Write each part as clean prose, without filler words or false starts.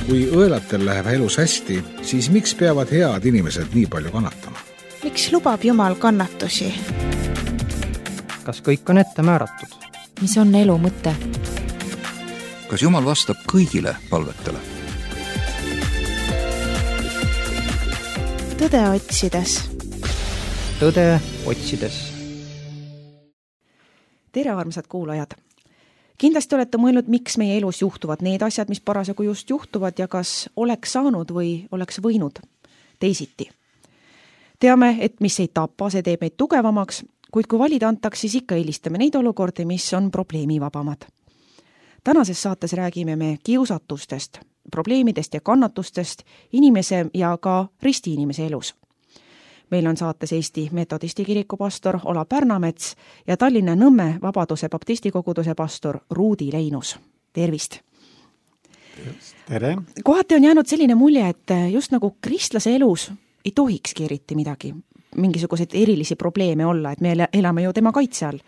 Kui õelatel läheb elus hästi, siis miks peavad head inimesed nii palju kannatama? Miks lubab Jumal kannatusi? Kas kõik on ette määratud? Mis on elu mõte? Kas Jumal vastab kõigile palvetele? Tõde otsides. Tõde otsides. Tere, armsad kuulajad! Kindlasti olete mõelnud, miks meie elus juhtuvad need asjad, mis parasjagu just juhtuvad ja kas oleks saanud või oleks võinud teisiti. Teame, et mis ei tapa, see teeb meid tugevamaks, kuid kui valida antaks, siis ikka eelistame neid olukordi, mis on probleemivabamad. Tänases saates räägime me kiusatustest, probleemidest ja kannatustest inimese ja ka ristiinimese elus. Meil on saates Eesti Metodisti kiriku pastor Ola Pärnamets ja Tallinna Nõmme Vabaduse baptistikoguduse pastor Ruudi Leinus. Tervist! Tere! Kohati on jäänud selline mulje, et just nagu kristlase elus ei tohikski eriti midagi, mingisuguseid erilisi probleeme olla, et me elame ju tema kaitse all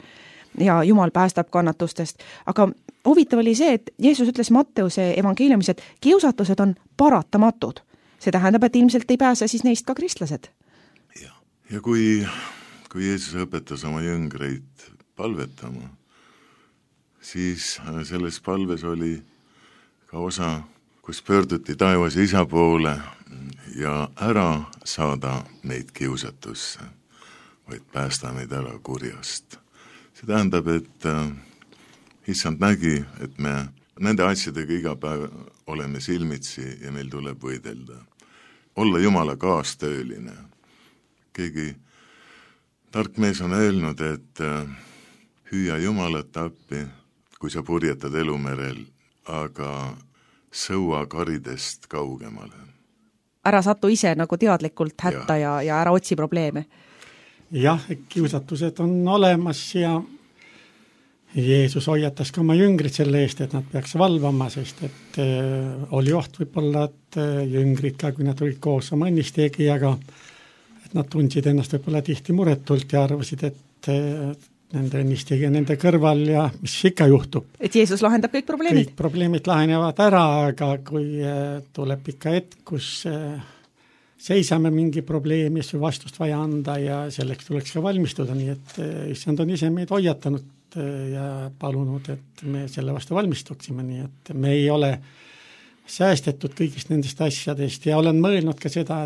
ja Jumal päästab kannatustest. Aga huvitav oli see, et Jeesus ütles Matteuse evangeeliumis, et kiusatused on paratamatud. See tähendab, et ilmselt ei pääse siis neist ka kristlased. Ja kui Jeesus õpetas oma jüngreid palvetama, siis selles palves oli ka osa, kus pöörduti taevas isa poole ja ära saada meid kiusatusse, vaid päästa meid ära kurjast. See tähendab, et issand nägi, et me nende asjadega iga päev oleme silmitsi ja meil tuleb võidelda. Olla Jumala kaastööline. Keegi tark mees on öelnud, et hüüa Jumalat appi, kui sa purjetad elumerel, aga sõua karidest kaugemale. Ära satu ise nagu teadlikult hätta ja ära otsi probleeme. Jah, kiusatused on olemas ja Jeesus hoiatas ka oma jüngrid selle eest, et nad peaks valvama, sest et oli oht võib-olla, et jüngrid ka, kui nad olid koos oma õnnisteegijaga, nad tundsid ennast võib-olla tihti muretult ja arvasid, et nende õnnistegi nende kõrval ja mis ikka juhtub. Et Jeesus lahendab kõik probleemid? Kõik probleemid lahenevad ära, aga kui tuleb ikka hetk, kus seisame mingi probleemi, siis vastust vaja anda ja selleks tuleks ka valmistuda, nii et issand on ise meid hoiatanud ja palunud, et me selle vastu valmistuksime, nii et me ei ole säästetud kõigist nendest asjadest ja olen mõelnud ka seda,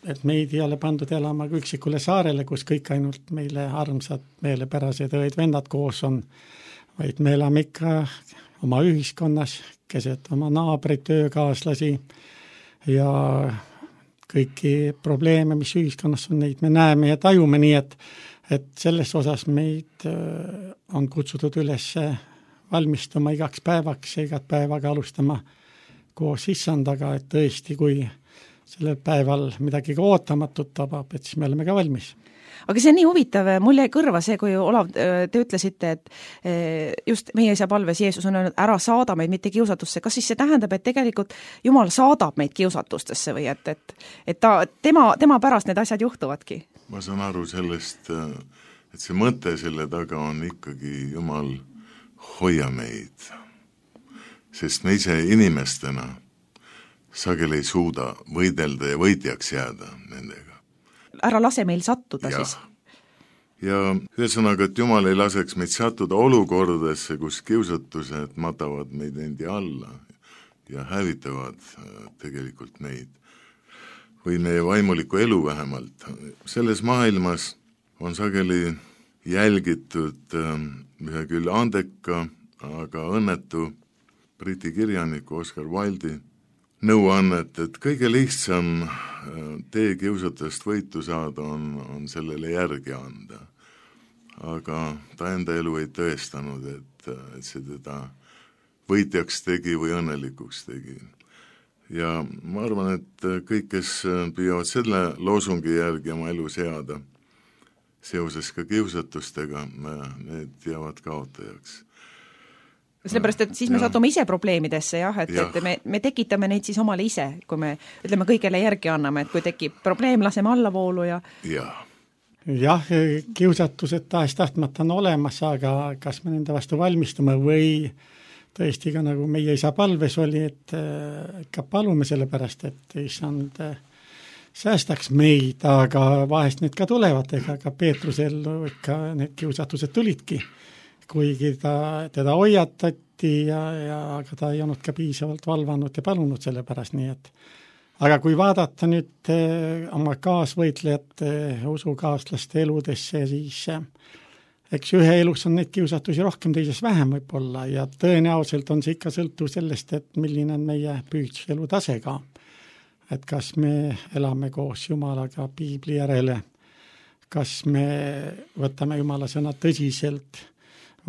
et meid ei ole pandud elama üksikule saarele, kus kõik ainult meile armsad, meelepärased õed-vennad koos on, vaid me elame ikka oma ühiskonnas, keset oma naabreid, töökaaslasi ja kõiki probleeme, mis ühiskonnas on, neid me näeme ja tajume, nii et selles osas meid on kutsutud üles valmistuma igaks päevaks ja igat päevaga alustama koos issandaga, et tõesti, kui sellel päeval midagi ka ootamatut tabab, et siis me oleme ka valmis. Aga see on nii huvitav, mul jäi kõrva see, kui Olav, te ütlesite, et just meie isa palves Jeesus on öelnud, ära saada meid mitte kiusatusse. Kas siis see tähendab, et tegelikult Jumal saadab meid kiusatustesse või et tema pärast need asjad juhtuvadki? Ma saan aru sellest, et see mõte selle taga on ikkagi Jumal hoia meid, sest me ise inimestena sageli ei suuda võidelda ja võitjaks jääda nendega. Ära lase meil sattuda ja. Siis. Ja ühesõnaga, et Jumal ei laseks meid sattuda olukordadesse, kus kiusatused matavad meid endi alla ja hävitavad tegelikult meid. Või meie vaimuliku elu vähemalt. Selles maailmas on sageli jälgitud ühe küll andeka, aga õnnetu Briti kirjaniku Oscar Wilde'i nõuannet, et kõige lihtsam tee kiusatust võitu saada on sellele järgi anda. Aga ta enda elu ei tõestanud, et see teda võitjaks tegi või õnnelikuks tegi. Ja ma arvan, et kõik, kes püüavad selle loosungi järgi oma elu seada, seoses ka kiusatustega, need jäävad kaotajaks. Sellepärast, et siis me satume ise probleemidesse, et me tekitame neid siis omale ise, kui me ütleme kõigele järgi anname, et kui tekib probleem, laseme allavoolu ja... Jah, kiusatused tahes tahtmata on olemas, aga kas me nende vastu valmistume või tõesti ka nagu meie isa palves oli, et ikka palume selle pärast, et issand säästaks meid, aga vahest need ka tulevad, ega ka Peetrusel ikka need kiusatused tulidki, kuigi teda hoiatati ja aga ta ei olnud ka piisavalt valvanud ja palunud selle pärast, nii et aga kui vaadata nüüd oma kaasvõitlejate, usukaaslaste eludesse, siis eks ühe elus on neid kiusatusi rohkem, teises vähem võib-olla ja tõenäoliselt on see ikka sõltuv sellest, et milline on meie pühitsuse tase ka. Et kas me elame koos Jumalaga piibli järele, kas me võtame Jumala sõna tõsiselt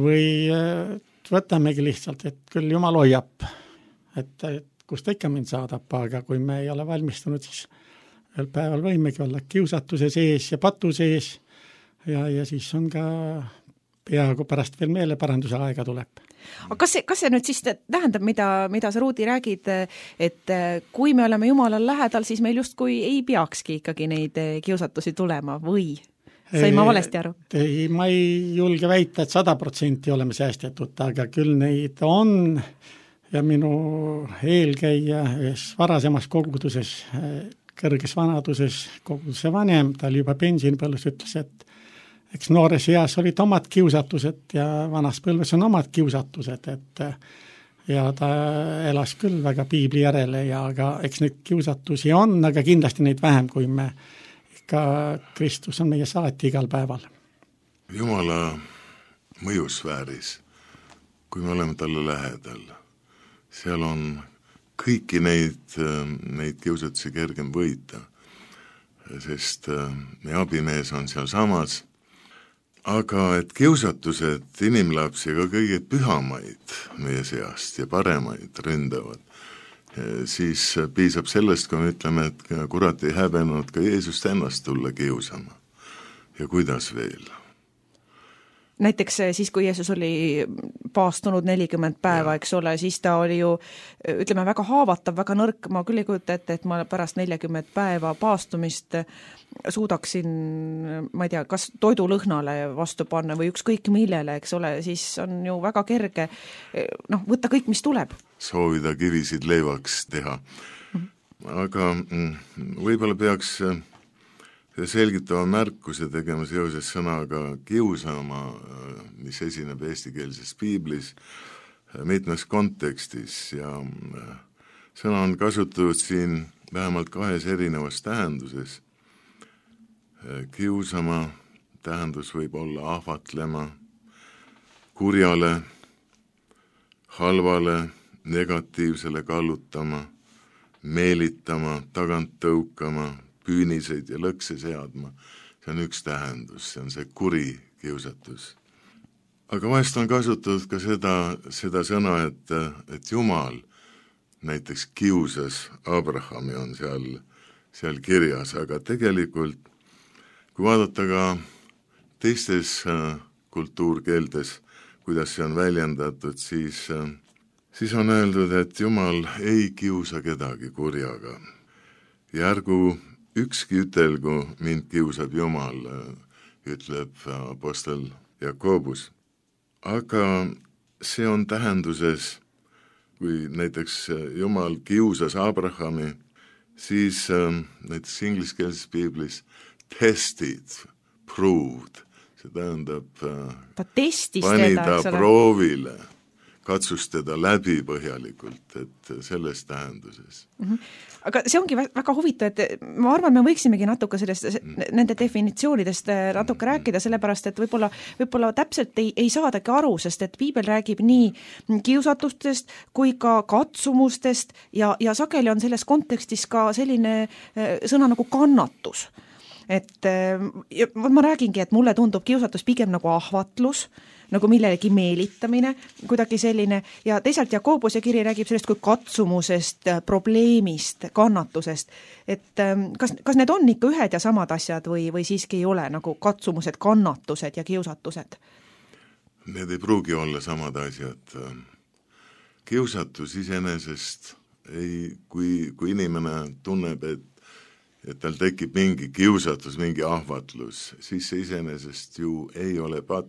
või võtamegi lihtsalt, et küll Jumal hoiab, et kus ta ikka mind saadab, aga kui me ei ole valmistunud, siis ühel päeval võimegi olla kiusatuse sees ja patu sees ja siis on ka peaaegu pärast veel meeleparanduse aega tuleb. Aga kas see nüüd siis tähendab, mida sa, Ruudi, räägid, et kui me oleme Jumalal lähedal, siis meil justkui ei peakski ikkagi neid kiusatusi tulema või? Sain ma valesti aru? Ei, ma ei julge väita, et 100% oleme säästetud, aga küll neid on ja minu eelkäija ühes varasemas koguduses, kõrges vanaduses koguduse vanem, ta oli juba pensionipõlves, ütles, et eks noores eas olid omad kiusatused ja vanas põlves on omad kiusatused, et ja ta elas küll väga piibli järele ja aga eks neid kiusatusi on, aga kindlasti neid vähem, kui me ikka Kristus on meie saati igal päeval. Jumala mõjusfääris, kui me oleme talle lähedal, seal on kõiki neid kiusatusi kergem võita, sest meie abimees on seal samas, aga et kiusatused inimlapsi ka kõige pühamaid meie seast ja paremaid ründavad, siis piisab sellest, kui me ütleme, et kurat ei häbenud ka Jeesust ennast tulla kiusama. Ja kuidas veel? Näiteks siis, kui Jeesus oli paastunud 40 päeva, eks ole, siis ta oli ju, ütleme, väga haavatav, väga nõrk, ma küll ei kujuta ette, et ma pärast 40 päeva paastumist suudaksin, ma ei tea, kas toidulõhnale vastu panna või ükskõik millele, eks ole, siis on ju väga kerge võtta kõik, mis tuleb. Soovida kivisid leivaks teha. Aga võib-olla peaks selgitava märkuse tegema seoses sõnaga kiusama, mis esineb eestikeelses piiblis mitmes kontekstis ja sõna on kasutatud siin vähemalt 2 erinevas tähenduses. Kiusama tähendus võib olla ahvatlema, kurjale, halvale, negatiivsele kallutama, meelitama, tagant tõukama, püüniseid ja lõkse seadma. See on üks tähendus, see on see kuri kiusatus. Aga vahest on kasutatud ka seda sõna, et Jumal näiteks kiusas Abrahami on seal kirjas, aga tegelikult kui vaadata ka teistes kultuurkeeltes, kuidas see on väljendatud, siis on öeldud, et Jumal ei kiusa kedagi kurjaga. Ja ärgu ükski ütelgu mind kiusab Jumal, ütleb apostel Jakobus. Aga see on tähenduses, kui näiteks Jumal kiusas Abrahami, siis näiteks ingliskeelses piiblis tested, proved, see tähendab pani ta proovile, katsus teda läbi põhjalikult, et selles tähenduses. Aga see ongi väga huvitav, et ma arvan, me võiksimegi natuke nende definitsioonidest natuke rääkida, sellepärast, et võib-olla täpselt ei saadagi aru, sest et piibel räägib nii kiusatustest kui ka katsumustest ja sageli on selles kontekstis ka selline sõna nagu kannatus. Et ma räägingi, et mulle tundub kiusatus pigem nagu ahvatlus, nagu millelegi meelitamine, kuidagi selline, ja teisalt Jakobuse kiri räägib sellest kui katsumusest, probleemist, kannatusest. Et kas need on ikka ühed ja samad asjad või siiski ei ole nagu katsumused, kannatused ja kiusatused? Need ei pruugi olla samad asjad. Kiusatus iseenesest, kui inimene tunneb, et tal tekib mingi kiusatus, mingi ahvatlus, siis see iseenesest ju ei ole patt.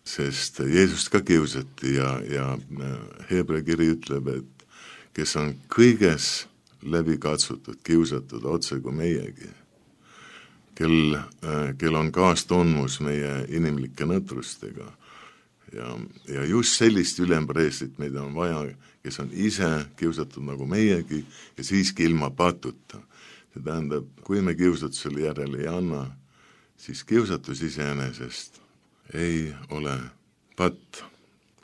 sest Jeesust ka kiusati ja Hebra kiri ütleb, et kes on kõiges läbi katsutud, kiusatud otse kui meiegi, kel on kaastundmus meie inimlike nõtrustega ja just sellist ülempreestrit meid on vaja, kes on ise kiusatud nagu meiegi ja siiski ilma patuta. See tähendab, kui me kiusatusele järele ei anna, siis kiusatus iseenesest ei ole patt,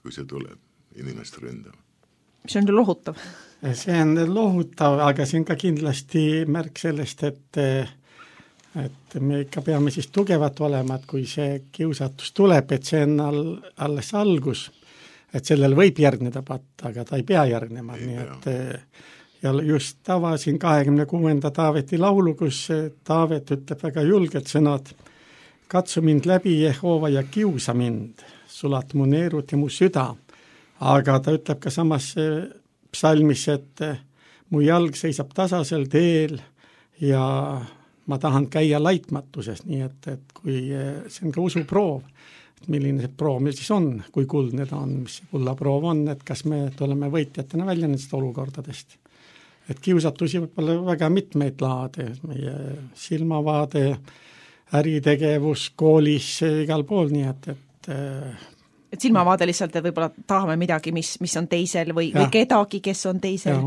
kui see tuleb inimest ründama. See on lohutav. See on lohutav, aga see on ka kindlasti märk sellest, et me ikka peame siis tugevat olema, et kui see kiusatus tuleb, et see on alles algus, et sellel võib järgneda patt, aga ta ei pea järgnema, nii et ja just avasin 26. Taaveti laulu, kus Taavet ütleb väga julgelt sõnad: katsu mind läbi, Jehova, ja kiusa mind, sulat mu neerud ja mu süda. Aga ta ütleb ka samas psalmis, et mu jalg seisab tasasel teel ja ma tahan käia laitmatuses, nii et kui see on ka usuproov, et milline see proov meil siis on, kui kuldne ta on, mis see kullaproov on, et kas me tuleme võitjatena välja nendest olukordadest. Et kiusatusi võib olla väga mitmeid laade, meie silmavaade, äritegevus, koolis, igal pool, nii et silmavaade lihtsalt, et võib-olla tahame midagi, mis on teisel või kedagi, kes on teisel.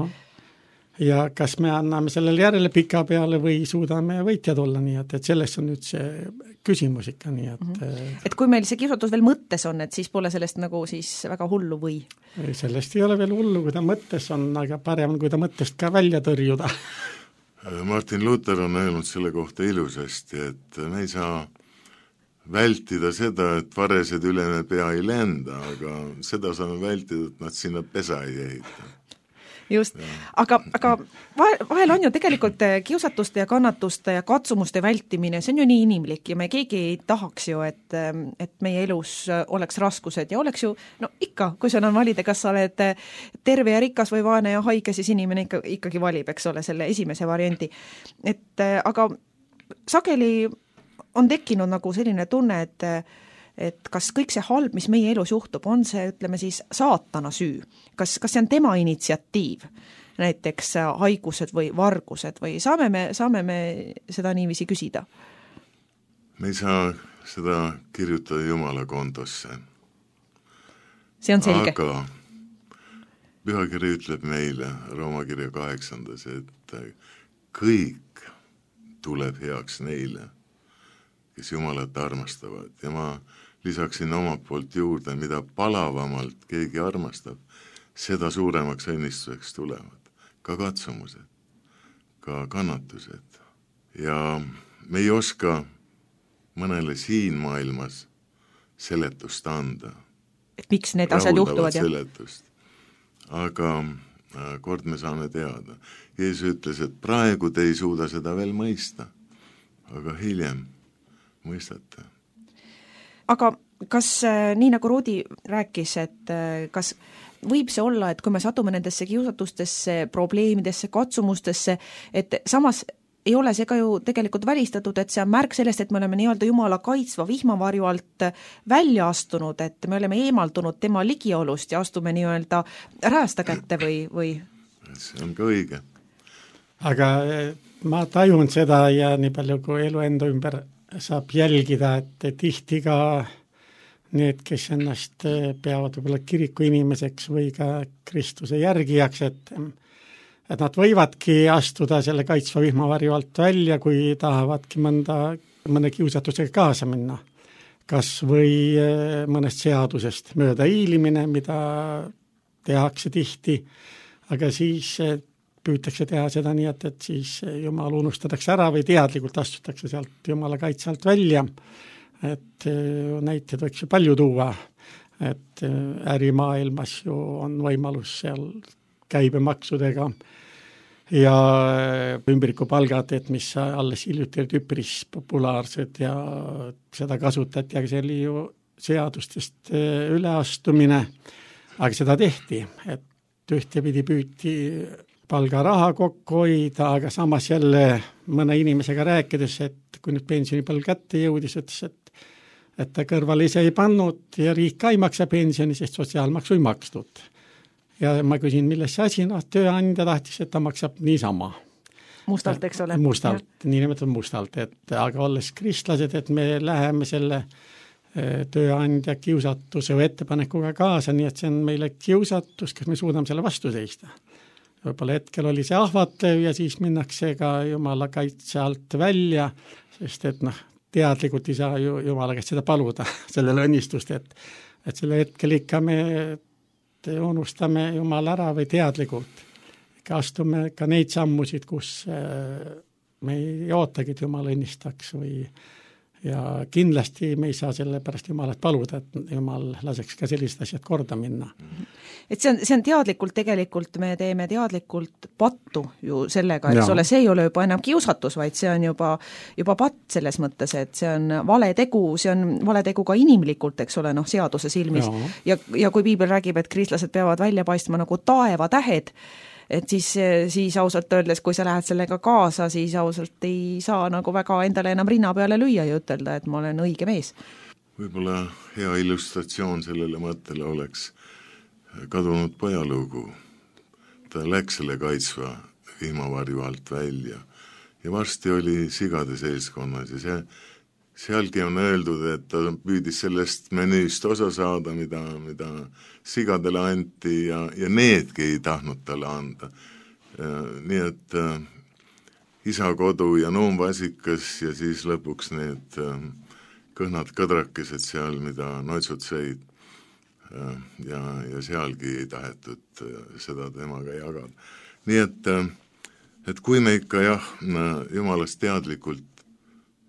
Ja kas me anname sellele järele pika peale või suudame võitjad olla, nii et sellest on nüüd see küsimus ikka, nii et et kui meil see kiusatus veel mõttes on, et siis pole sellest nagu siis väga hullu või? Sellest ei ole veel hullu, kui ta mõttes on, aga parem, kui ta mõttest ka välja tõrjuda. Martin Luther on öelnud selle kohta ilusasti, et me ei saa vältida seda, et varesed ülene pea ei lenda, aga seda saame vältida, et nad sinna pesa ei ehita. Just, aga vahel on ju tegelikult kiusatuste ja kannatuste ja katsumuste vältimine, see on ju nii inimlik ja me keegi ei tahaks ju, et meie elus oleks raskused ja oleks ju, no ikka, kui sul on valida, kas sa oled terve ja rikas või vaene ja haige, siis inimene ikkagi valib, eks ole, selle esimese variandi. Aga sageli on tekkinud nagu selline tunne, et kas kõik see halb, mis meie elus juhtub, on see, ütleme siis, saatana süü? Kas see on tema initsiatiiv, näiteks haigused või vargused või saame me seda niiviisi küsida? Me ei saa seda kirjutada Jumala kontosse. See on selge. Aga pühakiri ütleb meile, Rooma kirja 8, et kõik tuleb heaks neile, kes Jumalat armastavad ja ma lisaksin omalt poolt juurde, mida palavamalt keegi armastab, seda suuremaks õnnistuseks tulevad. Ka katsumused, ka kannatused. Ja me ei oska mõnele siin maailmas seletust anda. Et miks need asjad juhtuvad? Seletust. Aga kord me saame teada. Jeesus ütles, et praegu te ei suuda seda veel mõista, aga hiljem mõistate. Aga kas, nii nagu Rudi rääkis, et kas võib see olla, et kui me satume nendesse kiusatustesse, probleemidesse, katsumustesse, et samas ei ole see ka ju tegelikult välistatud, et see on märk sellest, et me oleme nii-öelda Jumala kaitsva vihmavarju alt välja astunud, et me oleme eemaldunud tema ligiolust ja astume nii-öelda räästa kätte või? See on ka õige. Aga ma tajun seda ja nii palju kui elu enda ümber saab jälgida, et tihti ka need, kes ennast peavad võib-olla kiriku inimeseks või ka Kristuse järgijaks, et nad võivadki astuda selle kaitsva vihmavarju alt välja, kui tahavadki mõne kiusatusega kaasa minna. Kas või mõnest seadusest mööda hiilimine, mida tehakse tihti, aga siis püütakse teha seda nii, et siis Jumal unustatakse ära või teadlikult astutakse sealt Jumala kaitse alt välja. Et näiteid võiks ju palju tuua, et ärimaailmas ju on võimalus seal käibemaksudega ja ümbrikupalgad, et mis alles hiljuti olid üpris populaarsed ja seda kasutati, aga see oli ju seadustest üleastumine, aga seda tehti, et ühtepidi püüti palgaraha kokku hoida, aga samas jälle mõne inimesega rääkides, et kui nüüd pensionipalg kätte jõudis, ütles, et ta kõrval ise ei pannud ja riik ka ei maksa pensioni, sest sotsiaalmaksu ei makstud. Ja ma küsin, milles see asi, tööandja tahtis, et ta maksab niisama. Mustalt, eks ole. Mustalt, nii nimetatud mustalt, et aga olles kristlased, et me läheme selle tööandja kiusatuse või ettepanekuga kaasa, nii et see on meile kiusatus, kas me suudame selle vastu seista. Võib-olla hetkel oli see ahvatlev ja siis minnakse ka Jumala kaitse alt välja, sest et teadlikult ei saa Jumala käest seda paluda, sellele õnnistust, et selle hetkel ikka me unustame Jumala ära või teadlikult. Astume ka neid sammusid, kus me ei ootagi, et Jumal õnnistaks ja kindlasti me ei saa selle pärast Jumalat paluda, et Jumal laseks ka sellised asjad korda minna. Et see on teadlikult tegelikult, me teeme teadlikult pattu ju sellega, et see ei ole juba enam kiusatus, vaid see on juba patt selles mõttes, et see on vale tegu ka inimlikult, eks ole, seaduse silmis. Ja kui piibel räägib, et kristlased peavad välja paistma nagu taevatähed, et siis ausalt öeldes, kui sa lähed sellega kaasa, siis ausalt ei saa nagu väga endale enam rinna peale lüüa ja ütelda, et ma olen õige mees. Võib-olla hea illustratsioon sellele mõttele oleks kadunud pojalugu. Ta läks selle kaitsva vihmavarju alt välja ja varsti oli sigade seltskonnas ja sealgi on öeldud, et ta püüdis sellest menüüst osa saada, mida sigadele anti ja needki ei tahtnud talle anda. Nii et isa kodu ja noomvasikas ja siis lõpuks need kõhnad kõdrakesed seal, mida noitsud sõid ja sealgi ei tahetud seda temaga jagada. Nii et kui me ikka Jumalast teadlikult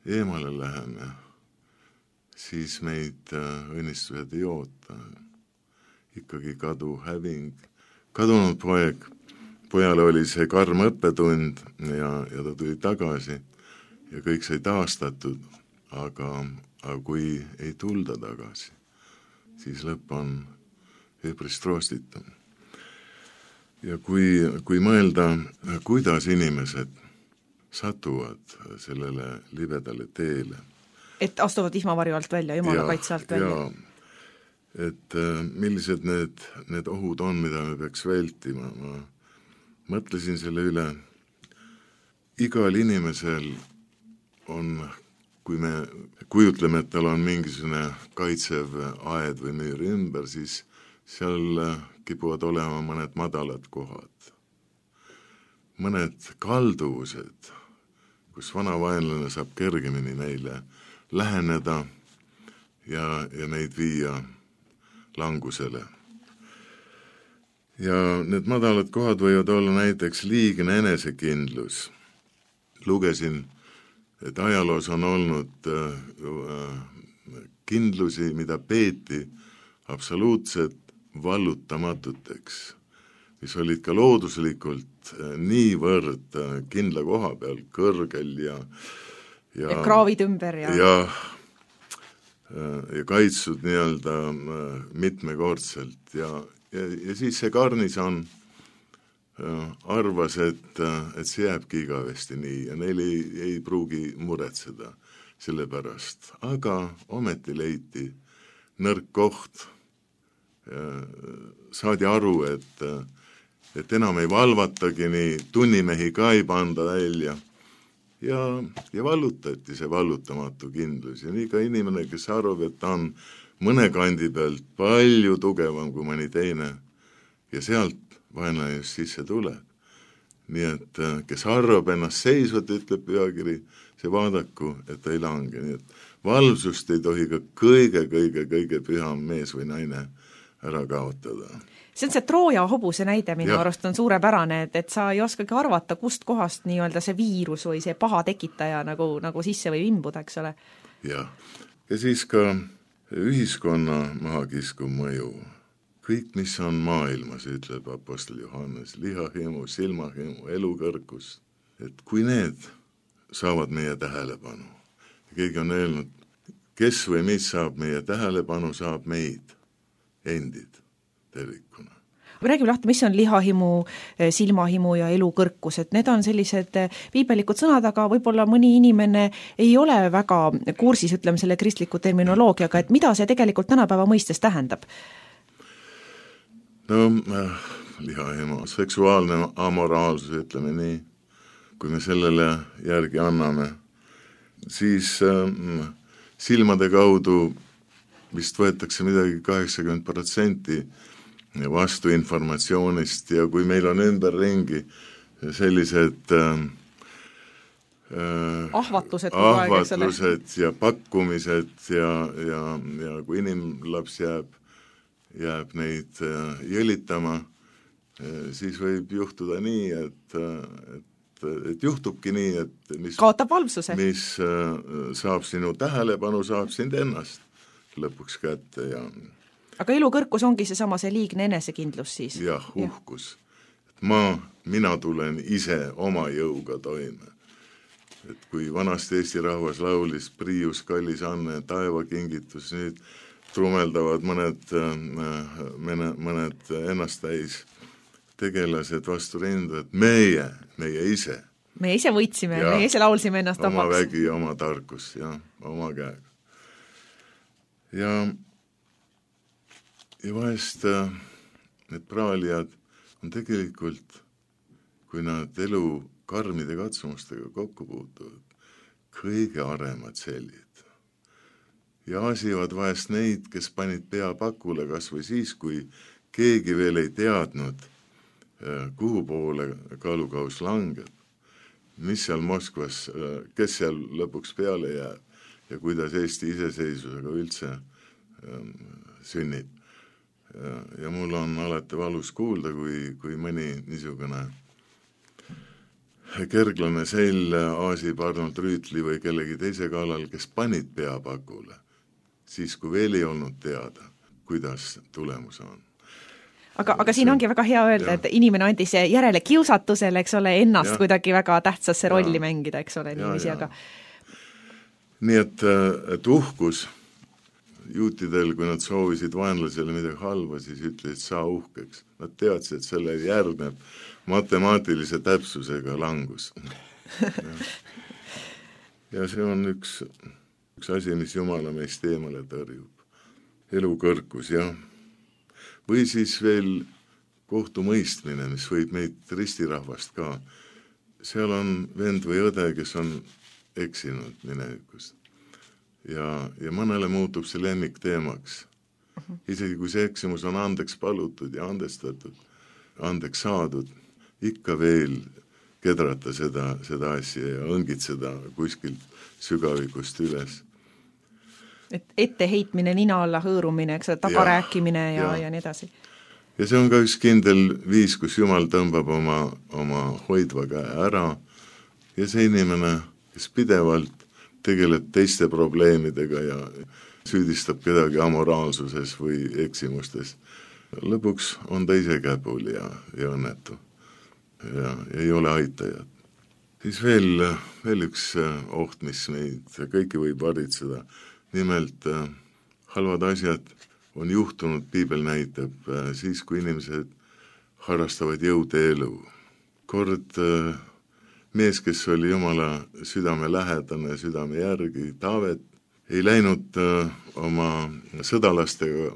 eemale läheme, siis meid õnnistused ei oota. Ikkagi kadu, häving. Kadunud pojale oli see karm õppetund ja ta tuli tagasi ja kõik sai taastatud, aga kui ei tulda tagasi, siis lõpp on üpris troostitum. Ja kui mõelda, kuidas inimesed satuvad sellele libedale teele. Et astuvad vihmavarju alt välja, Jumala kaitse alt välja. Et millised need ohud on, mida me peaks vältima. Ma mõtlesin selle üle. Igal inimesel on, kui me kujutleme, et tal on mingisugune kaitsev aed või müür ümber, siis seal kipuvad olema mõned madalad kohad. Mõned kalduvused, kus vana vaenlane saab kergemini neile läheneda ja neid viia langusele. Ja need madalad kohad võivad olla näiteks liigne enesekindlus. Lugesin, et ajaloos on olnud kindlusi, mida peeti absoluutselt vallutamatuteks, mis olid ka looduslikult niivõrd kindla koha peal, kõrgel ja kraavid ümber ja kaitsud nii-öelda mitmekordselt ja siis see garnison arvas, et see jääbki igavesti nii ja neil ei pruugi muretseda selle pärast, aga ometi leiti nõrk koht, saadi aru, et enam ei valvatagi, nii tunnimehi ka ei panda välja ja vallutati see vallutamatu kindlus ja nii ka inimene, kes arvab, et ta on mõne kandi pealt palju tugevam kui mõni teine ja sealt vaenlane just sisse tuleb. Nii et kes arvab ennast seisvat, ütleb pühakiri, see vaadaku, et ta ei lange. Nii et valvsust ei tohi ka kõige püham mees või naine ära kaotada. See on see Trooja hobuse näide minu arust on suurepärane, et sa ei oskagi arvata, kust kohast nii-öelda see viirus või see paha tekitaja nagu sisse või imbuda, eks ole. Ja siis ka ühiskonna mahakiskuv mõju. Kõik, mis on maailmas, ütleb apostel Johannes, lihahimu, silmahimu, elukõrgus, et kui need saavad meie tähelepanu, keegi on öelnud, kes või mis saab meie tähelepanu, saab meid endid tervikuna. räägime lahti, mis on lihahimu, silmahimu ja elukõrkus, et need on sellised piibellikud sõnad, aga võib-olla mõni inimene ei ole väga kursis, ütleme, selle kristliku terminoloogiaga, et mida see tegelikult tänapäeva mõistes tähendab? No lihahimu, seksuaalne amoraalsus, ütleme nii, kui me sellele järgi anname, siis silmade kaudu vist võetakse midagi 80% vastu informatsioonist ja kui meil on ümberringi sellised ahvatlused ja pakkumised ja kui inimlaps jääb neid jõlitama, siis võib juhtuda nii, et juhtubki nii, et kaotab valvsuse. Mis saab sinu tähelepanu, saab sind ennast lõpuks kätte ja aga elukõrkus ongi see liigne enesekindlus siis? Jah, uhkus. Mina tulen ise oma jõuga toime. Et kui vanasti Eesti rahvas laulis Priius, kallis Anne, taevakingitus, nüüd trumeldavad mõned ennasttäis tegelased vastu rindu, et meie ise. Me ise võitsime, me ise laulsime ennast oma vägi, oma tarkus ja oma käega. Ja vahest need praalijad on tegelikult, kui nad elu karmide katsumustega kokku puutuvad, kõige aremad sellid. Ja asivad vahest neid, kes panid pea pakule kas või siis, kui keegi veel ei teadnud, kuhu poole kaalukaus langeb, mis seal Moskvas, kes seal lõpuks peale jääb ja kuidas Eesti iseseisvusega üldse sünnib. Ja mul on alati valus kuulda, kui mõni niisugune kerglane sell aasib Arnold Rüütli või kellegi teise kallal, kes panid pea pakule, siis kui veel ei olnud teada, kuidas tulemus on. Aga siin ongi väga hea öelda, et inimene andis järele kiusatusele, eks ole, ennast kuidagi väga tähtsasse rolli mängida, eks ole, niiviisi, aga nii et uhkus juutidel, kui nad soovisid vaenlasele midagi halba, siis ütlesid, saa uhkeks. Nad teadsid, et selle järgneb matemaatilise täpsusega langus. Ja see on üks asi, mis Jumala meist eemale tõrjub. Elukõrkus, jah. Või siis veel kohtumõistmine, mis võib meid ristirahvast ka. Seal on vend või õde, kes on eksinud minevikust. Ja mõnele muutub see lemmik teemaks. Isegi kui see eksimus on andeks palutud ja andestatud, andeks saadud, ikka veel kedrata seda asja ja õngitseda kuskilt sügavikust üles. Et etteheitmine, nina alla hõõrumine, eks tagarääkimine ja nii edasi. Ja see on ka üks kindel viis, kus Jumal tõmbab oma hoidva käe ära ja see inimene, kes pidevalt tegeleb teiste probleemidega ja süüdistab kedagi amoraalsuses või eksimustes. Lõpuks on ta ise käpul ja õnnetu ja ei ole aitajat. Siis veel üks oht, mis meid kõiki võib varitseda. Nimelt halvad asjad on juhtunud, Piibel näitab, siis kui inimesed harrastavad jõudeelu. Kord mees, kes oli Jumala südame lähedane, südame järgi, Taavet, ei läinud oma sõdalastega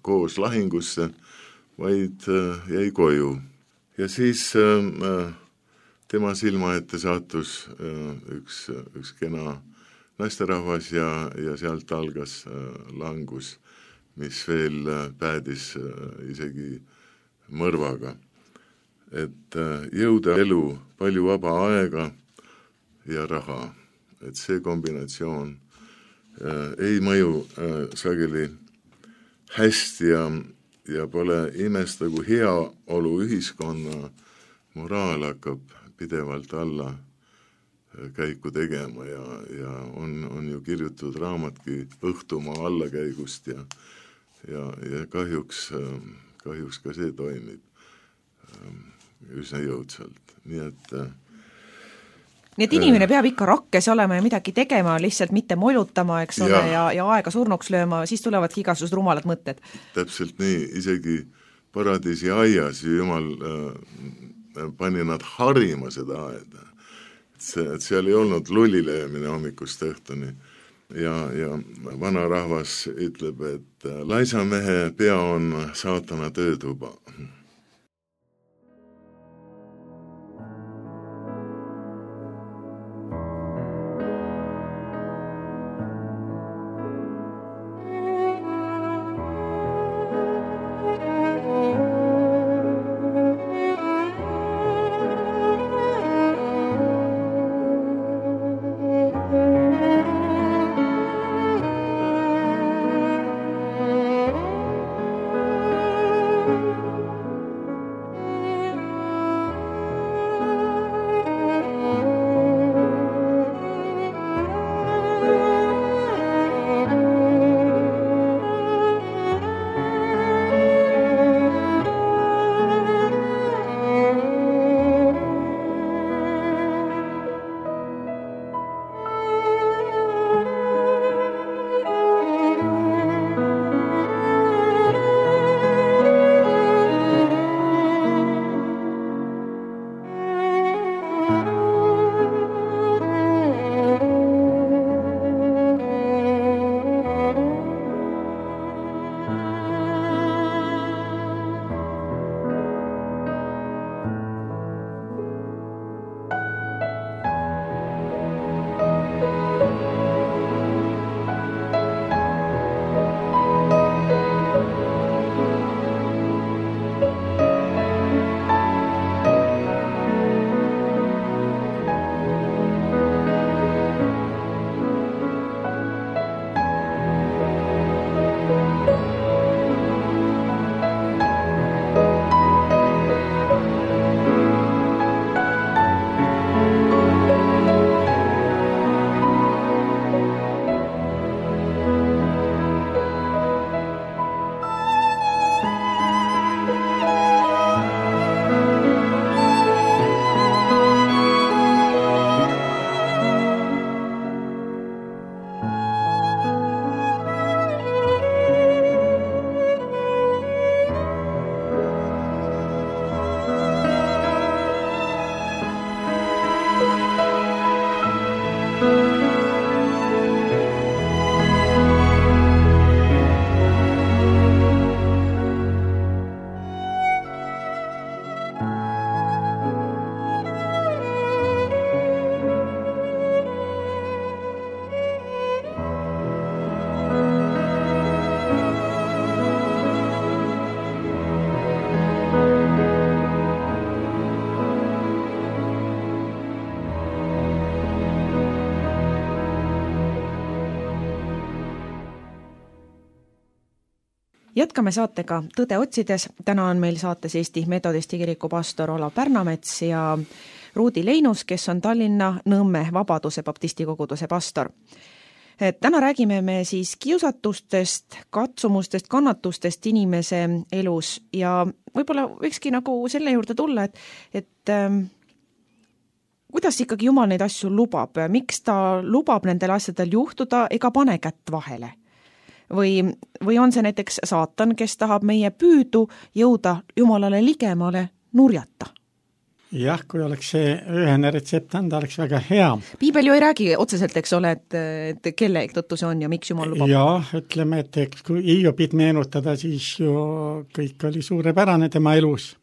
koos lahingusse, vaid jäi koju. Ja siis tema silma ette sattus üks kena naisterahvas ja sealt algas langus, mis veel päädis isegi mõrvaga. Et jõuda elu, palju vaba aega ja raha. Et see kombinatsioon ei mõju sageli hästi ja pole imesta, kui heaolu ühiskonna moraal hakkab pidevalt alla käiku tegema ja on ju kirjutatud raamatki õhtumaa allakäigust ja kahjuks ka see toimib üsna jõudsalt. Nii et inimene peab ikka rakkes olema ja midagi tegema, lihtsalt mitte molutama, eks ole, ja aega surnuks lööma, siis tulevadki igasugused rumalad mõtted. Täpselt nii, isegi paradiisi aias ja Jumal pani nad harima seda aeda. Et seal ei olnud lullilöömine hommikust õhtuni ja vana rahvas ütleb, et laisa mehe pea on saatana töötuba. Jätkame saatega Tõde otsides. Täna on meil saates Eesti Metodisti kiriku pastor Olav Pärnamets ja Ruudi Leinus, kes on Tallinna Nõmme Vabaduse baptisti koguduse pastor. Täna räägime me siis kiusatustest, katsumustest, kannatustest inimese elus ja võib-olla võikski nagu selle juurde tulla, et kuidas ikkagi Jumal neid asju lubab, miks ta lubab nendel asjadel juhtuda ega pane kätt vahele? Või on see näiteks saatan, kes tahab meie püüdu jõuda Jumalale ligemale nurjata? Jah, kui oleks see ühene retsept anda, oleks väga hea. Piibel ju ei räägi otseselt, eks ole, et kelle tõttu see on ja miks Jumal lubab? Jah, ütleme, et kui Hiobit meenutada, siis ju kõik oli suurepärane tema elus.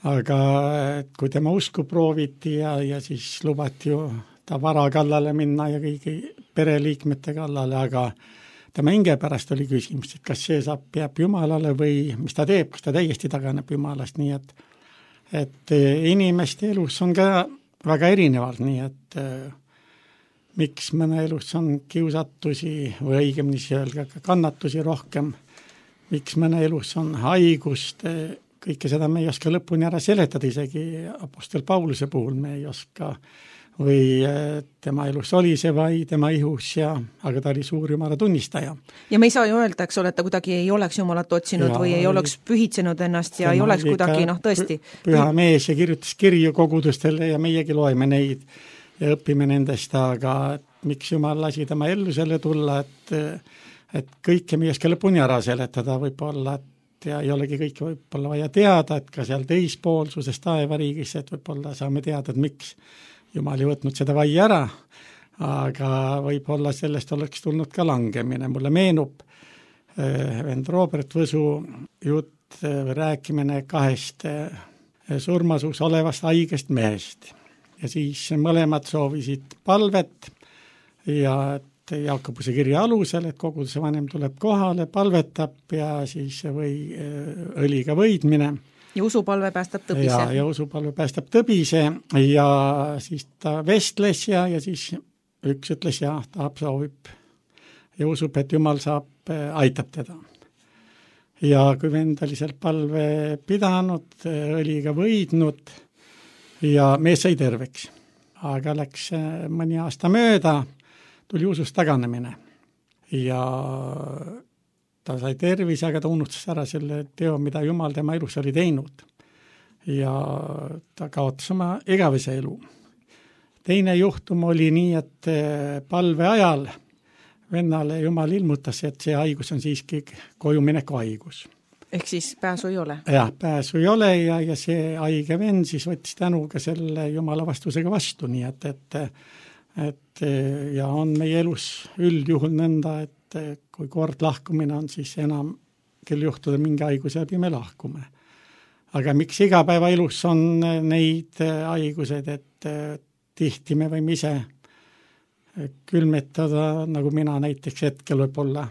Aga kui tema usku prooviti ja siis lubati ju ta vara kallale minna ja kõigi pereliikmete kallale, aga tema hinge pärast oli küsimus, et kas see jääb Jumalale või mis ta teeb, kas ta täiesti taganeb Jumalast, nii et inimeste elus on ka väga erinevalt, nii et miks mõne elus on kiusatusi või õigemini öelda ka kannatusi rohkem, miks mõne elus on haigust, kõike seda me ei oska lõpuni ära seletada, isegi apostel Pauluse puhul me ei oska või tema elus oli see vai tema ihus, aga ta oli suur Jumala tunnistaja. Ja me ei saa ju öelda, eks ole, et ta kuidagi ei oleks Jumalat otsinud või ei oleks pühitsenud ennast ja ei oleks kuidagi, tõesti. Püha mees ja kirjutas kirju kogudustele ja meiegi loeme neid ja õpime nendest, aga miks Jumal lasi tema ellu selle tulla, et kõike me ei oska lõpuni ära seletada, võib-olla, ja ei olegi kõike võib-olla vaja teada, et ka seal teispoolsuses taevariigis, et võib-olla saame teada, et miks Jumal ei võtnud seda vai ära, aga võib-olla sellest oleks tulnud ka langemine. Mulle meenub vend Robert Võsu jutt või rääkimine 2 surmasuus olevast haigest mehest. Ja siis mõlemad soovisid palvet ja Jaakobuse kirja alusel, et koguduse vanem tuleb kohale, palvetab ja siis õliga võidmine. Ja usupalve päästab tõbise. Ja usupalve päästab tõbise ja siis ta vestles ja siis üks ütles ja soovib ja usub, et Jumal aitab teda. Ja kui vend oli seal palve pidanud, õliga võidnud ja mees sai terveks. Aga läks mõni aasta mööda, tuli usust taganemine ja ta sai tervise, aga ta unustas ära selle teo, mida Jumal tema elus oli teinud. Ja ta kaotas oma igavese elu. Teine juhtum oli nii, et palve ajal vennale Jumal ilmutas, et see haigus on siiski kojumineku haigus. Ehk siis pääsu ei ole? Jah, pääsu ei ole ja see haige vend siis võttis tänuga selle Jumala vastusega vastu, nii et ja on meie elus üldjuhul nõnda, et kui kord lahkumine on, siis enam küll juhtuda mingi haiguse läbi me lahkume. Aga miks igapäevaelus on neid haigused, et tihti me võime ise külmetada, nagu mina näiteks hetkel võib-olla,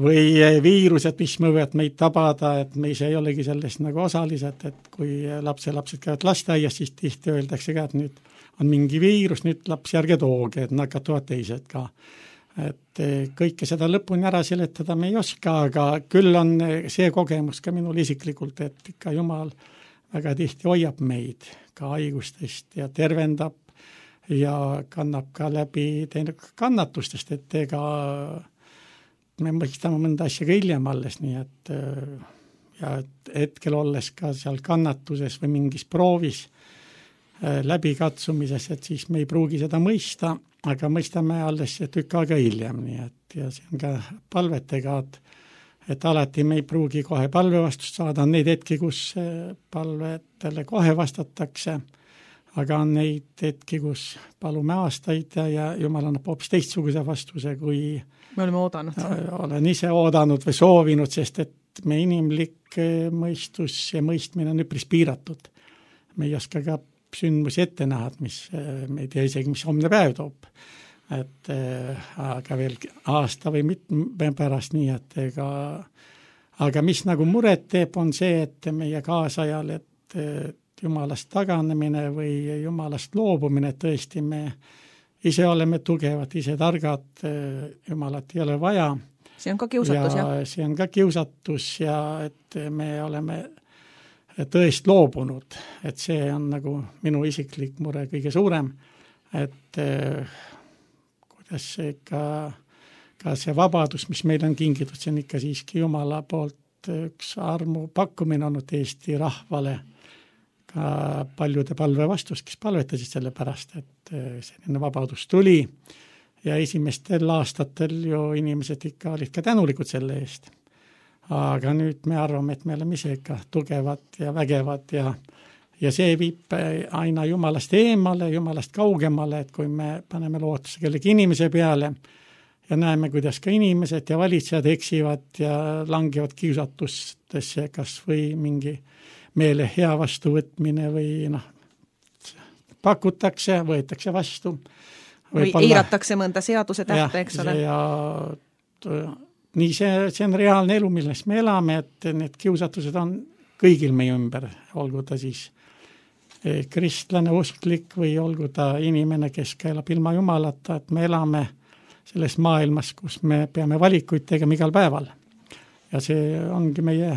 või viirused, mis võivad meid tabada, et me ise ei olegi sellest nagu osalised, et kui lapsed käivad lasteaias, siis tihti öeldakse ka, et nüüd on mingi viirus, nüüd lapsi ärge tooge, et nakatuvad teised ka. Et kõike seda lõpuni ära seletada me ei oska, aga küll on see kogemus ka minul isiklikult, et ikka Jumal väga tihti hoiab meid ka haigustest ja tervendab ja kannab ka läbi kannatustest, et ega me mõistame mõnda asja ka hiljem alles, nii et ja hetkel olles ka seal kannatuses või mingis proovis läbikatsumises, et siis me ei pruugi seda mõista, aga mõistame alles tükk aega hiljem, nii et ja see on ka palvetega, et alati me ei pruugi kohe palvevastust saada, on neid hetki, kus palvetele kohe vastatakse, aga on neid hetki, kus palume aastaid ja Jumal annab hoopis teistsuguse vastuse, kui me oleme oodanud. Olen ise oodanud või soovinud, sest et me inimlik mõistus ja mõistmine on üpris piiratud. Me ei oska ka sündmusi ette näha, mis me ei tea isegi, mis homne päev toob. Et aga veel aasta või mitme pärast nii, et aga mis nagu muret teeb, on see, et meie kaasajal, et Jumalast taganemine või Jumalast loobumine, tõesti me ise oleme tugevad, ise targad, Jumalat ei ole vaja. See on ka kiusatus, jah? See on ka kiusatus ja et me oleme tõest loobunud, et see on nagu minu isiklik mure kõige suurem, et kuidas see ka see vabadus, mis meil on kingitud, see on ikka siiski Jumala poolt üks armu pakkumine olnud Eesti rahvale, ka paljude palve vastus, kes palvetasid selle pärast, et selline vabadus tuli ja esimestel aastatel ju inimesed ikka olid ka tänulikud selle eest. Aga nüüd me arvame, et me oleme ise ikka tugevad ja vägevad ja see viib aina Jumalast eemale, Jumalast kaugemale, et kui me paneme lootuse kellegi inimese peale ja näeme, kuidas ka inimesed ja valitsejad eksivad ja langevad kiusatustesse, kas või mingi meele hea vastuvõtmine või pakutakse, võetakse vastu. Või eiratakse mõnda seaduse tähte, eks ole. Ja nii see on reaalne elu, milles me elame, et need kiusatused on kõigil meie ümber, olgu ta siis kristlane, usklik või olgu ta inimene, kes elab ilma Jumalata, et me elame selles maailmas, kus me peame valikuid tegema igal päeval. Ja see ongi meie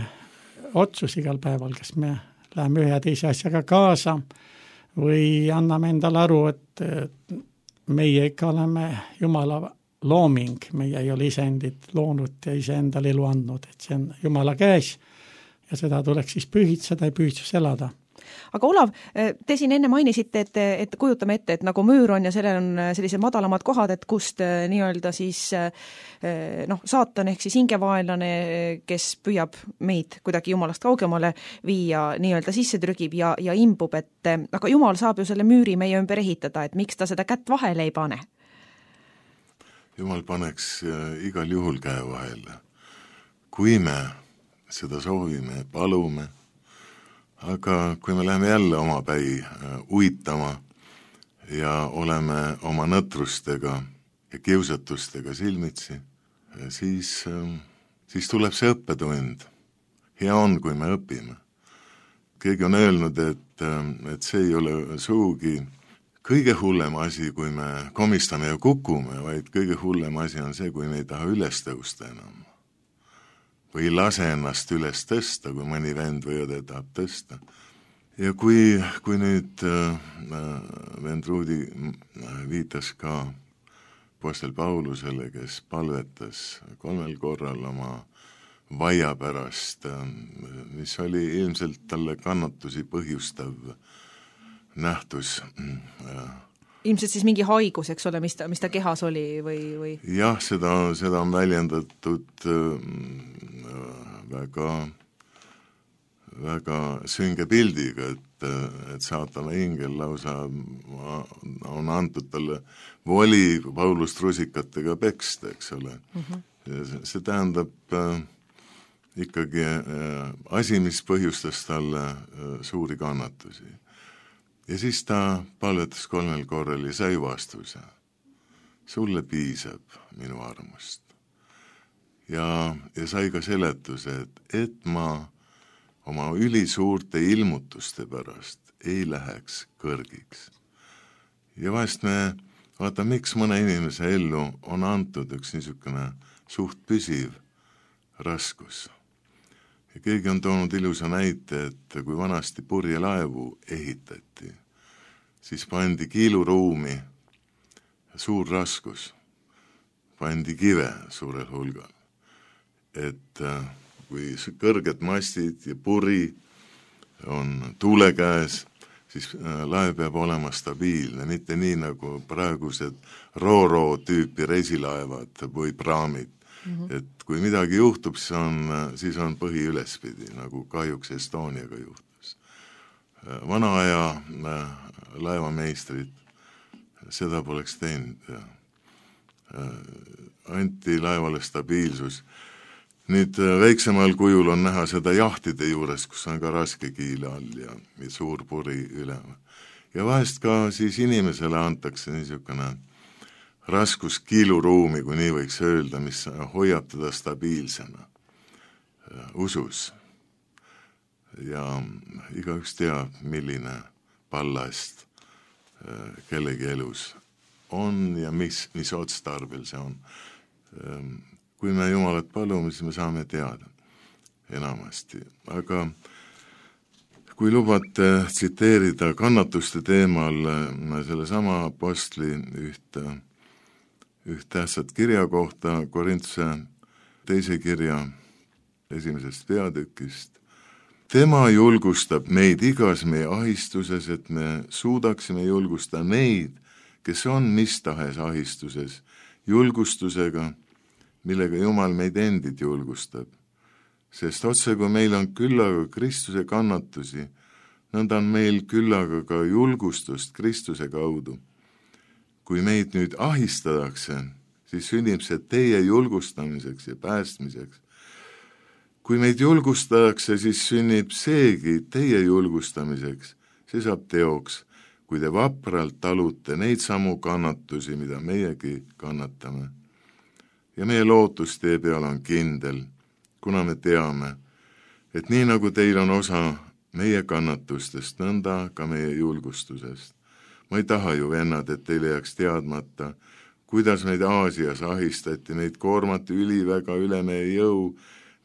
otsus igal päeval, kas me läheme ühe ja teise asjaga kaasa või anname endale aru, et meie ikka oleme Jumala looming, meie ei ole iseendid loonud ja iseendale elu andnud, et see on Jumala käes ja seda tuleks siis pühitseda ja pühitsus elada. Aga Olav, te siin enne mainisite, et kujutame ette, et nagu müür on ja sellel on sellised madalamad kohad, et kust nii-öelda siis saatan ehk siis hingevaenlane, kes püüab meid kuidagi jumalast kaugemale viia, nii-öelda sisse trügib ja imbub, et aga jumal saab ju selle müüri meie ümber ehitada, et miks ta seda kätt vahele ei pane? Jumal paneks igal juhul käe vahele, kui me seda soovime, palume, aga kui me läheme jälle omapäi uitama ja oleme oma nõtrustega ja kiusatustega silmitsi, siis tuleb see õppetund. Hea on, kui me õpime. Keegi on öelnud, et see ei ole sugugi kõige hullem asi, kui me komistame ja kukume, vaid kõige hullem asi on see, kui me ei taha üles tõusta enam. Või ei lase ennast üles tõsta, kui mõni vend või õde tahab tõsta. Ja kui nüüd vend Ruudi viitas ka apostel Paulusele, kes palvetas 3 korral oma vaia pärast, mis oli ilmselt talle kannatusi põhjustav nähtus. Ilmselt siis mingi haigus, eks ole, mis ta kehas oli või? Jah, seda on väljendatud väga sünge pildiga, et saatana ingel lausa on antud talle voli Paulust rusikatega peksta, eks ole. See tähendab ikkagi asi, mis põhjustas talle suuri kannatusi. Ja siis ta palvetas 3 korral ja sai vastuse. Sulle piisab minu armust. Ja sai ka seletuse, et ma oma ülisuurte ilmutuste pärast ei läheks kõrgiks. Ja vahest me vaatame, miks mõne inimese ellu on antud üks niisugune suht püsiv raskus. Ja keegi on toonud ilusa näite, et kui vanasti purjelaevu ehitati, siis pandi kiiluruumi suur raskus, pandi kive suurel hulgal. Et kui kõrged mastid ja puri on tuule käes, siis laev peab olema stabiilne, mitte nii nagu praegused Ro-Ro tüüpi reisilaevad või praamid. Et kui midagi juhtub, siis on põhi ülespidi, nagu kahjuks Estoniaga juhtus. Vana aja laevameistrid seda poleks teinud. Anti laevale stabiilsus. Nüüd väiksemal kujul on näha seda jahtide juures, kus on ka raske kiil all ja suur puri üle. Ja vahest ka siis inimesele antakse niisugune raskus kiiluruumi, kui nii võiks öelda, mis hoiab teda stabiilsena usus. Ja igaüks teab, milline ballast kellegi elus on ja mis otstarbel see on. Kui me Jumalat palume, siis me saame teada enamasti. Aga kui lubate tsiteerida kannatuste teemal selle sama apostli üht tähtsat kirja kohta Korintuse 2. kirja 1. peatükist. Tema julgustab meid igas meie ahistuses, et me suudaksime julgustada neid, kes on mis tahes ahistuses, julgustusega, millega Jumal meid endid julgustab. Sest otse kui meil on küllaga Kristuse kannatusi, nõnda on meil küllaga ka julgustust Kristuse kaudu. Kui meid nüüd ahistadakse, siis sünnib see teie julgustamiseks ja päästmiseks. Kui meid julgustatakse, siis sünnib seegi teie julgustamiseks. See saab teoks, kui te vapralt talute neid samu kannatusi, mida meiegi kannatame. Ja meie lootus tee peal on kindel, kuna me teame, et nii nagu teil on osa meie kannatustest, nõnda ka meie julgustusest. Ma ei taha ju, vennad, et teile jääks teadmata, kuidas meid Aasias ahistati, meid koormati üliväga üle meie jõu,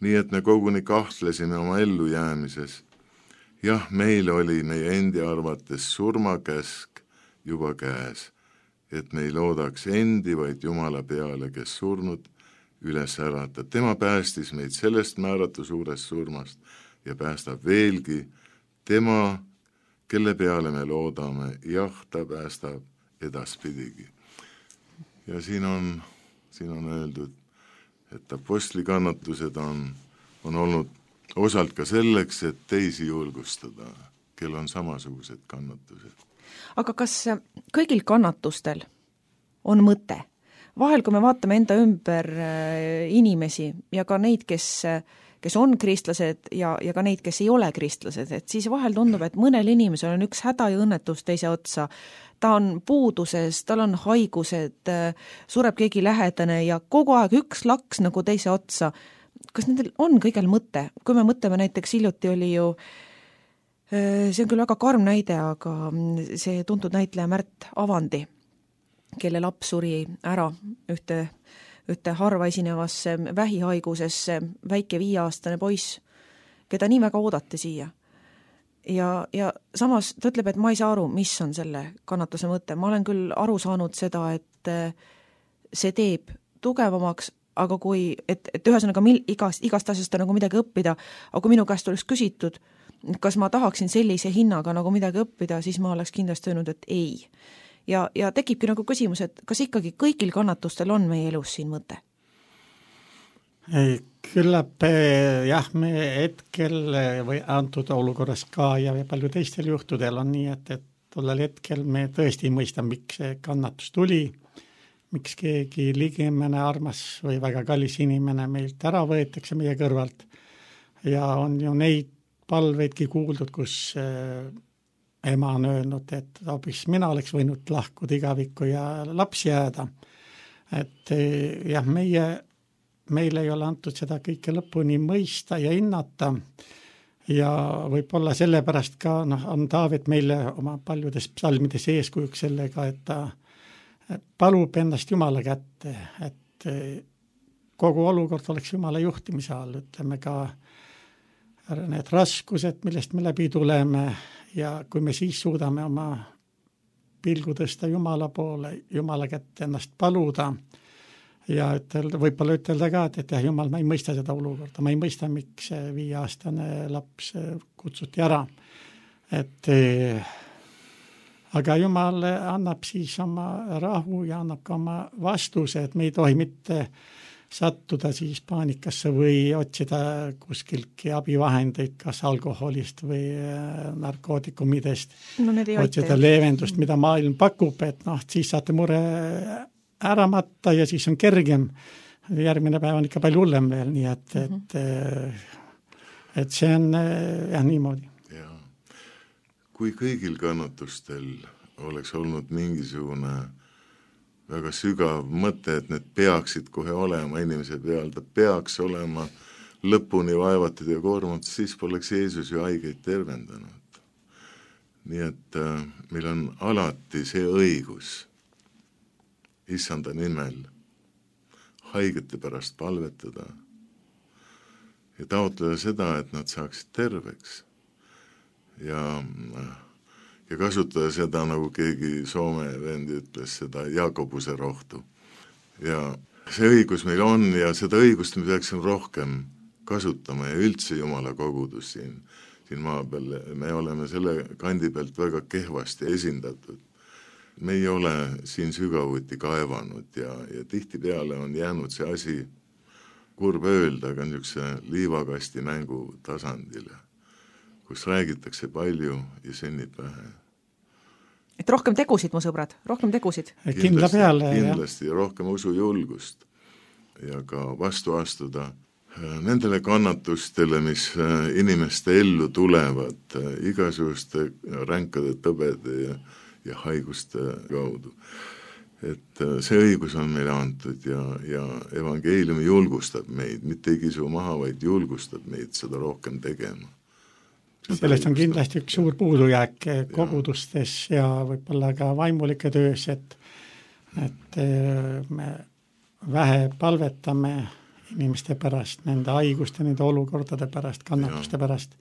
nii et me koguni kahtlesime oma ellujäämises. Jah, meil oli meie endi arvates surmakäsk juba käes, et me ei loodaks endi, vaid Jumala peale, kes surnud üles ärata. Tema päästis meid sellest määratu suurest surmast ja päästab veelgi. Tema, kelle peale me loodame, jah, ta päästab edaspidigi. Ja siin on öeldud, et apostli kannatused on olnud osalt ka selleks, et teisi julgustada, kel on samasugused kannatused. Aga kas kõigil kannatustel on mõte? Vahel, kui me vaatame enda ümber inimesi ja ka neid, kes on kristlased ja ka neid, kes ei ole kristlased, et siis vahel tundub, et mõnel inimesel on üks häda ja õnnetus teise otsa. Ta on puuduses, tal on haigused, sureb keegi lähedane ja kogu aeg üks laks nagu teise otsa. Kas nendel on kõigel mõte? Kui me mõtleme näiteks hiljuti oli ju, see on küll väga karm näide, aga see tuntud näitleja Märt Avandi, kelle laps suri ära ühte harva esinevasse vähihaigusesse, väike 5-aastane poiss, keda nii väga oodati siia. Ja samas ta ütleb, et ma ei saa aru, mis on selle kannatuse mõte. Ma olen küll aru saanud seda, et see teeb tugevamaks, aga et ühesõnaga igast asjast on nagu midagi õppida, aga kui minu käest oleks küsitud, kas ma tahaksin sellise hinnaga nagu midagi õppida, siis ma oleks kindlasti öelnud, et ei. Ja tekibki nagu küsimus, et kas ikkagi kõigil kannatustel on meie elus siin mõte? Küllap jah, me hetkel või antud olukorras ka ja palju teistel juhtudel on nii, et tollel hetkel me tõesti ei mõista, miks see kannatus tuli, miks keegi ligemene armas või väga kallis inimene meilt ära võetakse meie kõrvalt. Ja on ju neid palveidki kuuldud, kus ema on öelnud, et hoopis mina oleks võinud lahkuda igavikku ja laps jääda. Et jah, meile ei ole antud seda kõike lõpuni mõista ja hinnata ja võib-olla sellepärast ka on Taavet meile oma paljudes psalmides eeskujuks sellega, et ta palub ennast Jumala kätte, et kogu olukord oleks Jumala juhtimise all, ütleme ka need raskused, millest me läbi tuleme ja kui me siis suudame oma pilgu tõsta Jumala poole, Jumala kätte ennast paluda ja võib-olla ütelda ka, et jah, Jumal, ma ei mõista seda olukorda, ma ei mõista, miks 5-aastane laps kutsuti ära. Aga Jumal annab siis oma rahu ja annab ka oma vastuse, et me ei tohi mitte sattuda siis paanikasse või otsida kuskiltki abivahendeid, kas alkoholist või narkootikumidest, otsida leevendust, mida maailm pakub, et siis saate mure ära matta ja siis on kergem. Järgmine päev on ikka palju hullem veel, nii et see on jah niimoodi. Ja. Kui kõigil kannatustel oleks olnud mingisugune väga sügav mõte, et need peaksid kohe olema inimese peal, ta peaks olema lõpuni vaevatud ja koormatud, siis poleks Jeesus ju haigeid tervendanud. Nii et meil on alati see õigus Issanda nimel haigete pärast palvetada ja taotleda seda, et nad saaksid terveks ja kasutada seda, nagu keegi Soome vendi ütles, seda Jakobuse rohtu. Ja see õigus meil on ja seda õigust me peaksime rohkem kasutama ja üldse Jumala kogudus siin maa peal. Me oleme selle kandi pealt väga kehvasti esindatud. Me ei ole siin sügavuti kaevanud ja tihtipeale on jäänud see asi kurb öelda, aga niisuguse liivakasti mängu tasandile, kus räägitakse palju ja sünnib vähe. Et rohkem tegusid, mu sõbrad, rohkem tegusid. Kindlasti ja rohkem usujulgust ja ka vastu astuda nendele kannatustele, mis inimeste ellu tulevad igasuguste ränkade tõbede ja haiguste kaudu. Et see õigus on meile antud ja evangeelium julgustab meid, mitte ei kisu maha, vaid julgustab meid seda rohkem tegema. Sellest on kindlasti üks suur puudujääk kogudustes ja võib-olla ka vaimulike töös, et me vähe palvetame inimeste pärast, nende haiguste, nende olukordade pärast, kannatuste pärast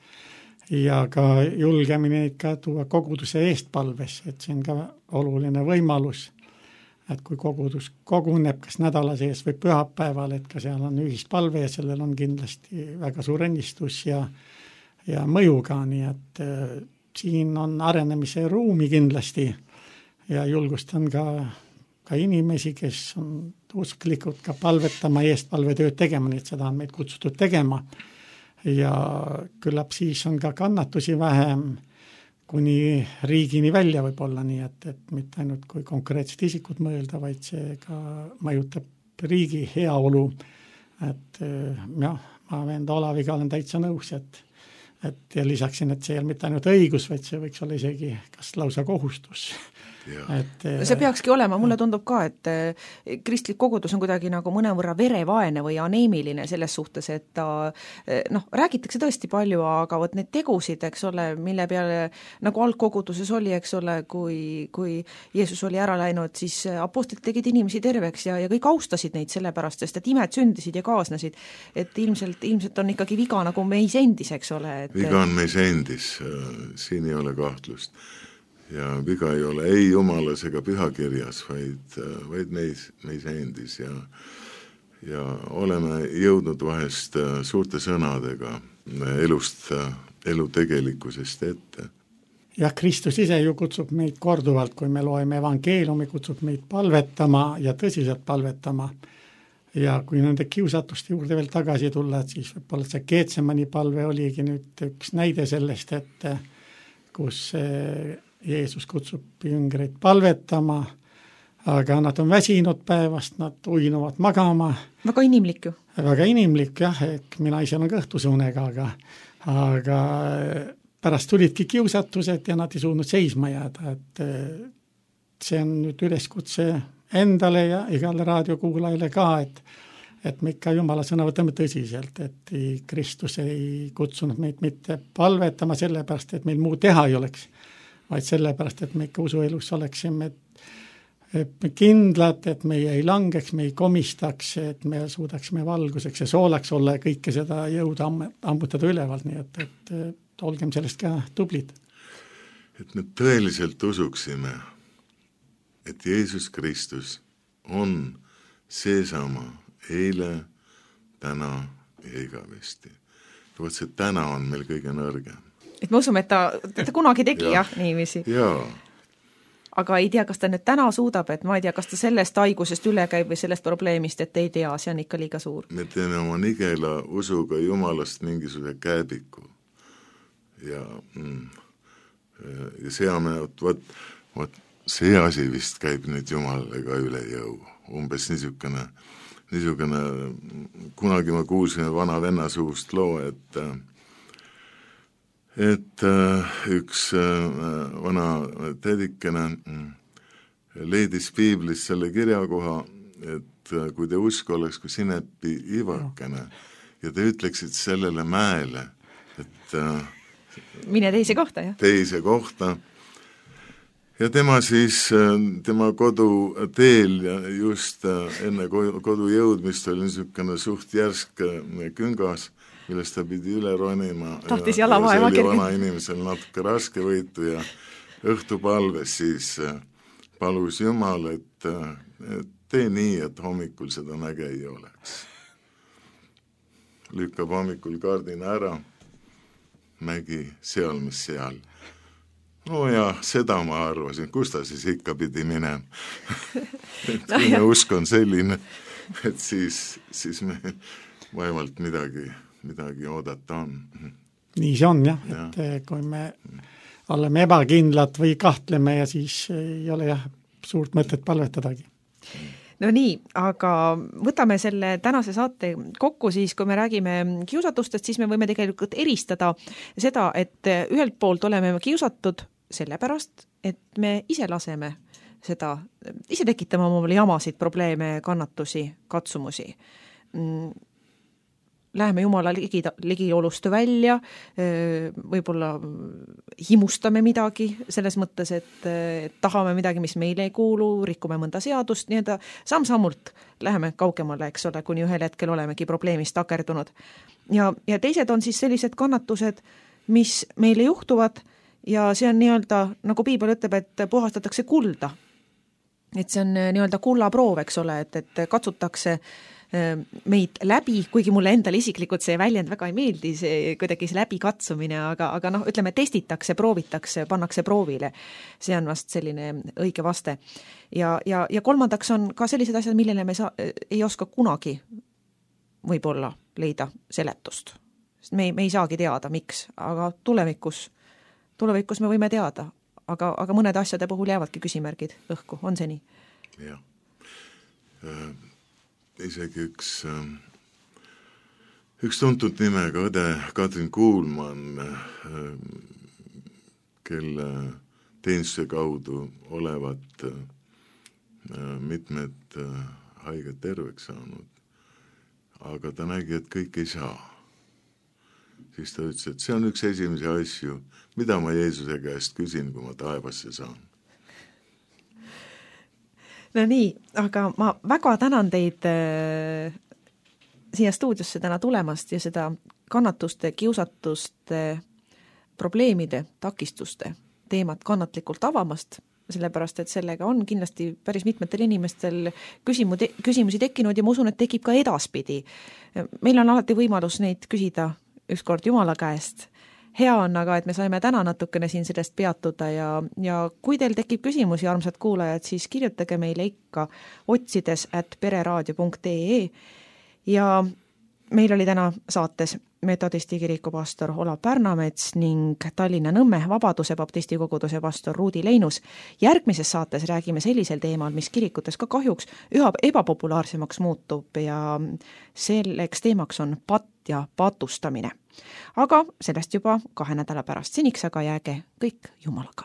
ja ka julgemini ka tuua koguduse eest palves, et see on ka oluline võimalus, et kui kogudus koguneb kas nädala sees või pühapäeval, et ka seal on ühispalve ja sellel on kindlasti väga suur õnnistus ja mõju ka, nii et siin on arenemise ruumi kindlasti ja julgustan ka inimesi, kes on usklikud ka palvetama, eestpalvetööd tegema, nii et seda on meid kutsutud tegema. Ja küllap siis on ka kannatusi vähem kuni riigini välja võib olla, nii et mitte ainult kui konkreetsed isikud mõelda, vaid see ka mõjutab riigi heaolu. Et jah, ma venda Olaviga olen täitsa nõus, et ja lisaksin, et see ei ole mitte ainult õigus, vaid see võiks olla isegi kas lausa kohustus. See peakski olema, mulle tundub ka, et kristlik kogudus on kuidagi nagu mõnevõrra verevaene või aneemiline selles suhtes, et ta räägitakse tõesti palju, aga võt need tegusid, eks ole, mille peale nagu algkoguduses oli, eks ole, kui Jeesus oli ära läinud, siis apostlid tegid inimesi terveks ja kõik austasid neid sellepärast, sest et imed sündisid ja kaasnesid, et ilmselt on ikkagi viga nagu meis endis, eks ole. Viga on meis endis, siin ei ole kahtlust. Ja viga ei ole ei jumalas ega pühakirjas, vaid meis endis ja oleme jõudnud vahest suurte sõnadega elu tegelikkusest ette. Jah, Kristus ise ju kutsub meid korduvalt, kui me loeme evangeeliumi, kutsub meid palvetama ja tõsiselt palvetama. Ja kui nende kiusatuste juurde veel tagasi tulla, siis võib-olla see Getsemani palve oligi nüüd üks näide sellest, et kus Jeesus kutsub jüngreid palvetama, aga nad on väsinud päevast, nad uinuvad magama. Väga inimlik ju. Väga inimlik, jah, mina ise olen kõhtusunega, aga pärast tulidki kiusatused ja nad ei suutnud seisma jääda, et see on nüüd üleskutse endale ja igale raadiokuulajale ka, et me ikka Jumala sõna võtame tõsiselt, et Kristus ei kutsunud meid mitte palvetama sellepärast, et meil muu teha ei oleks, vaid sellepärast, et me ikka usuelus oleksime kindlad, et meie ei langeks, me ei komistaks, et me suudaksime valguseks ja soolaks olla ja kõike seda jõuda ammutada ülevalt, nii et olgem sellest ka tublid. Et me tõeliselt usuksime, et Jeesus Kristus on seesama eile, täna ja igavesti. Võt see täna on meil kõige nõrgem. Et me usume, et ta kunagi tegi, jah, niiviisi. Jaa. Aga ei tea, kas ta nüüd täna suudab, et ma ei tea, kas ta sellest haigusest üle käib või sellest probleemist, et ei tea, see on ikka liiga suur. Me teeme oma nigela usuga Jumalast mingisuguse käebiku. Ja seame, võt see asi vist käib nüüd Jumalale ka üle jõu. Umbes niisugune, kunagi ma kuulsin vana venna suust loo, et üks vana tädikene leidis piiblis selle kirjakoha, et kui te usk oleks kui sinepi ivakene ja te ütleksid sellele mäele, et mine teise kohta, jah? Teise kohta. Ja tema siis, tema koduteel ja just enne kodu jõudmist oli niisugune suht järsk küngas, millest ta pidi üle ronima. Tahtis jalavaeva kerge. See oli vana inimesel natuke raske võitu ja õhtupalves siis palus Jumal, et tee nii, et hommikul seda näge ei oleks. Lükkab hommikul kardina ära, mägi seal, mis seal. No ja seda ma arvasin, kus ta siis ikka pidi minema. Et kui me usk on selline, et siis me vaevalt midagi oodata on. Nii see on, jah. Et kui me oleme ebakindlad või kahtleme ja siis ei ole suurt mõtet palvetadagi. No nii, aga võtame selle tänase saate kokku siis, kui me räägime kiusatustest, siis me võime tegelikult eristada seda, et ühelt poolt oleme kiusatud sellepärast, et me ise laseme seda, ise tekitame omale jamasid, probleeme, kannatusi, katsumusi. Läheme Jumala ligiolust välja, võib-olla himustame midagi selles mõttes, et tahame midagi, mis meile ei kuulu, rikume mõnda seadust, nii et samm-sammult läheme kaugemale, eks ole, kuni ühel hetkel olemegi probleemist takerdunud. Ja teised on siis sellised kannatused, mis meile juhtuvad ja see on nii-öelda, nagu piibel ütleb, et puhastatakse kulda. Et see on nii-öelda kullaproov, eks ole, et katsutakse meid läbi, kuigi mulle endale isiklikult see väljend väga ei meeldi, see kuidagi see läbikatsumine, aga noh, ütleme, testitakse, proovitakse, pannakse proovile. See on vast selline õige vaste. Ja kolmandaks on ka sellised asjad, millele me ei oska kunagi võib-olla leida seletust. Sest me ei saagi teada, miks, aga tulevikus me võime teada, aga mõned asjade puhul jäävadki küsimärgid õhku, on see nii? Jah. Isegi üks tuntud nimega õde Katrin Kuulmann, kelle teenistuse kaudu olevat mitmed haiged terveks saanud, aga ta nägi, et kõik ei saa. Siis ta ütles, et see on üks esimese asju, mida ma Jeesuse käest küsin, kui ma taevasse saan. No nii, aga ma väga tänan teid siia stuudiosse täna tulemast ja seda kannatuste, kiusatuste, probleemide, takistuste teemat kannatlikult avamast, sellepärast, et sellega on kindlasti päris mitmetel inimestel küsimusi tekkinud ja ma usun, et tekib ka edaspidi. Meil on alati võimalus neid küsida ükskord Jumala käest. Hea on aga, et me saime täna natukene siin sellest peatuda ja kui teil tekib küsimusi, armsad kuulajad, siis kirjutage meile ikka otsides@pereraadio.ee ja meil oli täna saates metodisti kiriku pastor Olav Pärnamets ning Tallinna Nõmme Vabaduse baptisti koguduse pastor Ruudi Leinus. Järgmises saates räägime sellisel teemal, mis kirikutes ka kahjuks üha ebapopulaarsemaks muutub ja selleks teemaks on patt ja patustamine. Aga sellest juba 2 nädala pärast. Seniks aga jääge kõik Jumalaga.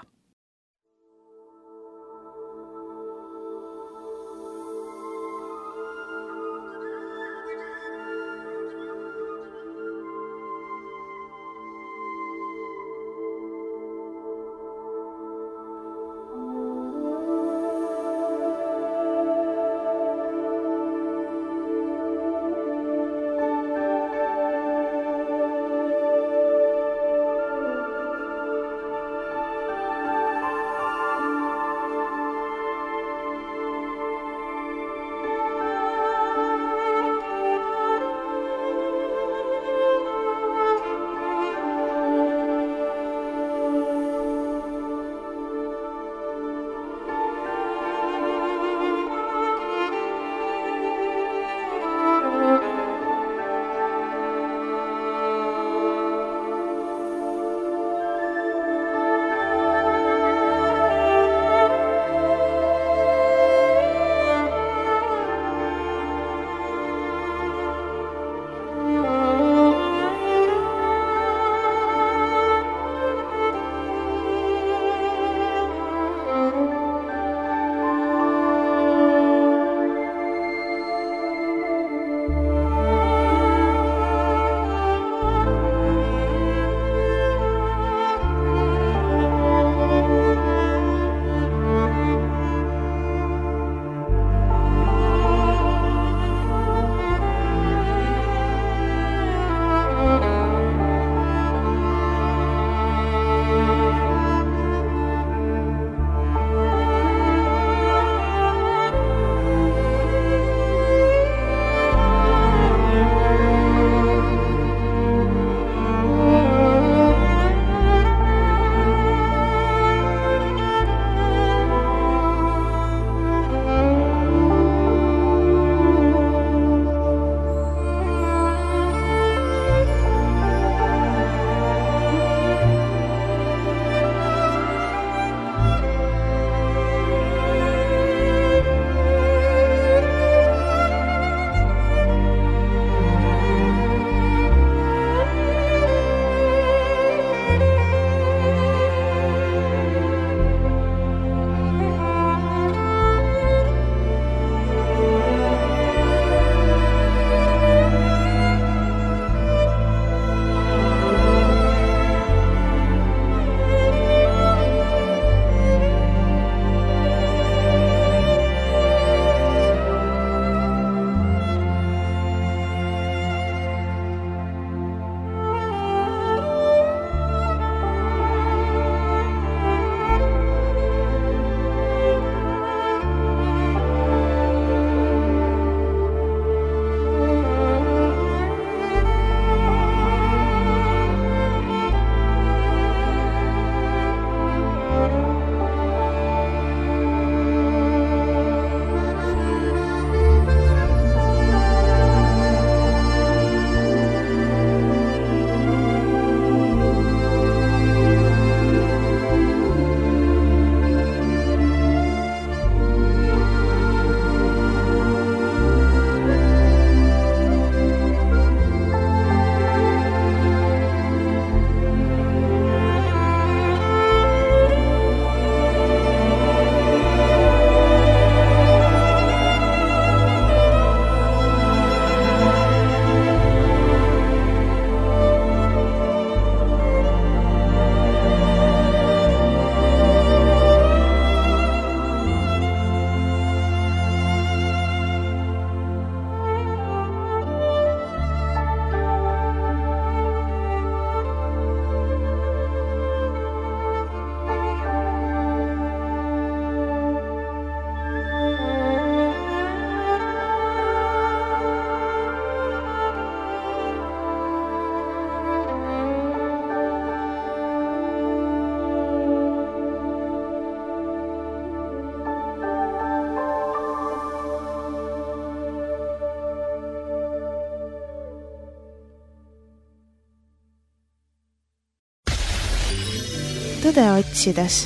tõde otsides.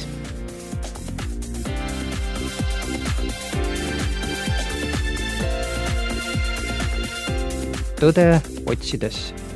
Tõde otsides.